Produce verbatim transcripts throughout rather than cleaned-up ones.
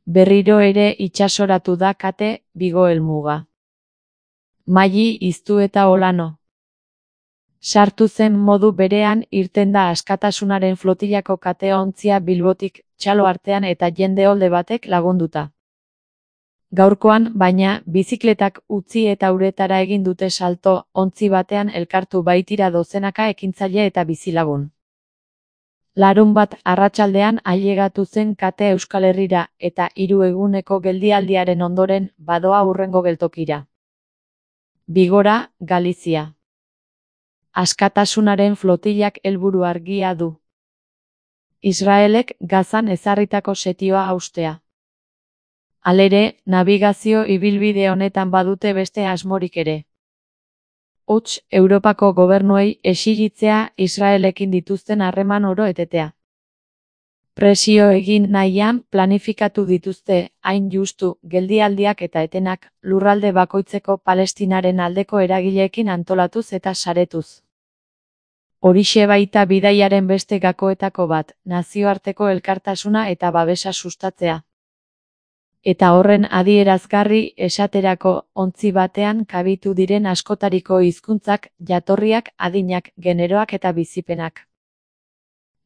Berriro ere itsasoratu da kate Vigo helmuga. Maili iztu eta Olano. Sartu zen modu berean irten da Askatasunaren flotilako kate-ontzia Bilbotik, txalo artean eta jende-olde batek lagunduta. Gaurkoan, baina, bizikletak utzi eta uretara egin dute salto, ontzi batean elkartu baitira dozenaka ekintzaile eta bizilagun. Larunbat arratsaldean ailegatu zen kate Euskal Herrira eta hiru eguneko geldialdiaren ondoren badoa hurrengo geltokira. Bigora, Galizia. Askatasunaren flotilak helburu argia du. Israelek Gazan ezarritako setioa haustea. Halere, nabigazio ibilbide honetan badute beste asmorik ere. Huts, Europako gobernuei exigitzea Israelekin dituzten harreman oro etetea. Presio egin nahian planifikatu dituzte, hain justu, geldialdiak eta etenak, lurralde bakoitzeko Palestinaren aldeko eragileekin antolatuz eta saretuz. Horixe baita bidaiaren beste gakoetako bat, nazioarteko elkartasuna eta babesa sustatzea. Eta horren adierazgarri esaterako ontzi batean kabitu diren askotariko hizkuntzak, jatorriak, adinak, generoak eta bizipenak.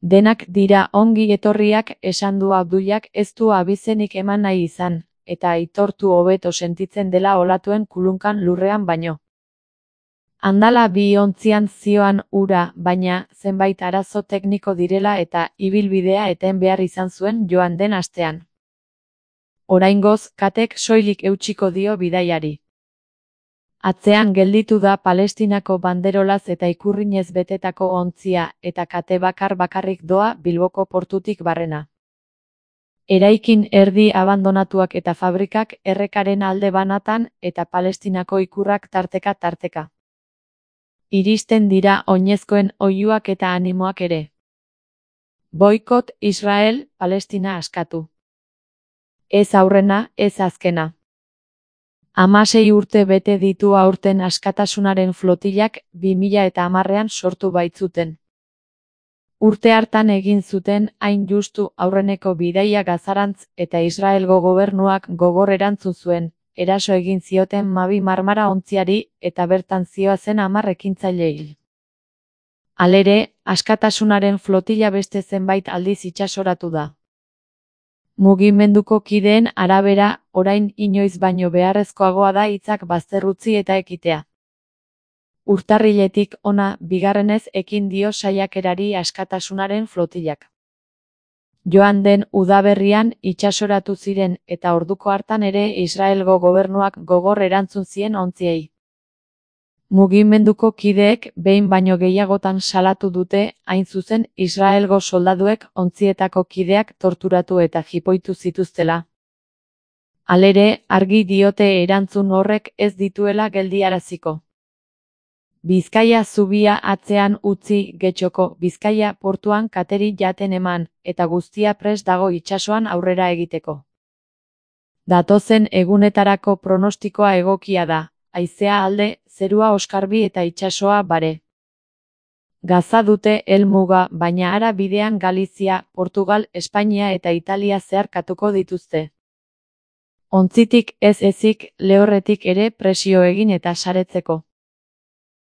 Denak dira ongi etorriak esan du Abdullak ez du abizenik eman nahi izan, eta aitortu hobeto sentitzen dela olatuen kulunkan lurrean baino. Handala bi ontzian zioan ura, baina zenbait arazo tekniko direla eta ibilbidea eten behar izan zuen joan den astean. Oraingoz, katek soilik eutsiko dio bidaiari. Atzean gelditu da Palestinako banderolaz eta ikurrinez betetako ontzia eta kate bakar bakarrik doa Bilboko portutik barrena. Eraikin erdi abandonatuak eta fabrikak errekaren alde banatan eta Palestinako ikurrak tarteka tarteka. Iristen dira oinezkoen oihuak eta animoak ere. Boikot Israel, Palestina askatu. Ez aurrena, ez azkena. Hamasei urte bete ditu aurten Askatasunaren flotilak bi mila eta hamarrean sortu baitzuten. Urte hartan egin zuten hain justu aurreneko bidaia Gazarantz eta Israelgo gobernuak gogor erantzun zuen, eraso egin zioten Mabi Marmara ontziari eta bertan zihoazen hamar ekintzaileei. Halere, Askatasunaren flotila beste zenbait aldiz itsasoratu da. Mugimenduko kideen arabera, orain inoiz baino beharrezkoagoa da hitzak bazterrutzi eta ekitea. Urtarriletik hona bigarrenez ekin dio saiakerari Askatasunaren flotilak. Joan den udaberrian itsasoratu ziren eta orduko hartan ere Israelgo gobernuak gogor erantzun zien ontziei. Mugimenduko kideek behin baino gehiagotan salatu dute, hain zuzen Israelgo soldaduek ontzietako kideak torturatu eta jipoitu zituztela. Halere, argi diote erantzun horrek ez dituela geldiaraziko. Bizkaia zubia atzean utzi Getxoko Bizkaia portuan kateri jaten eman, eta guztia prest dago itsasoan aurrera egiteko. Datozen egunetarako pronostikoa egokia da, haizea alde, zerua oskarbi eta itsasoa bare. Gaza dute helmuga, baina hara bidean Galizia, Portugal, Espainia eta Italia zeharkatuko dituzte. Ontzitik ez ezik, lehorretik ere presio egin eta saretzeko.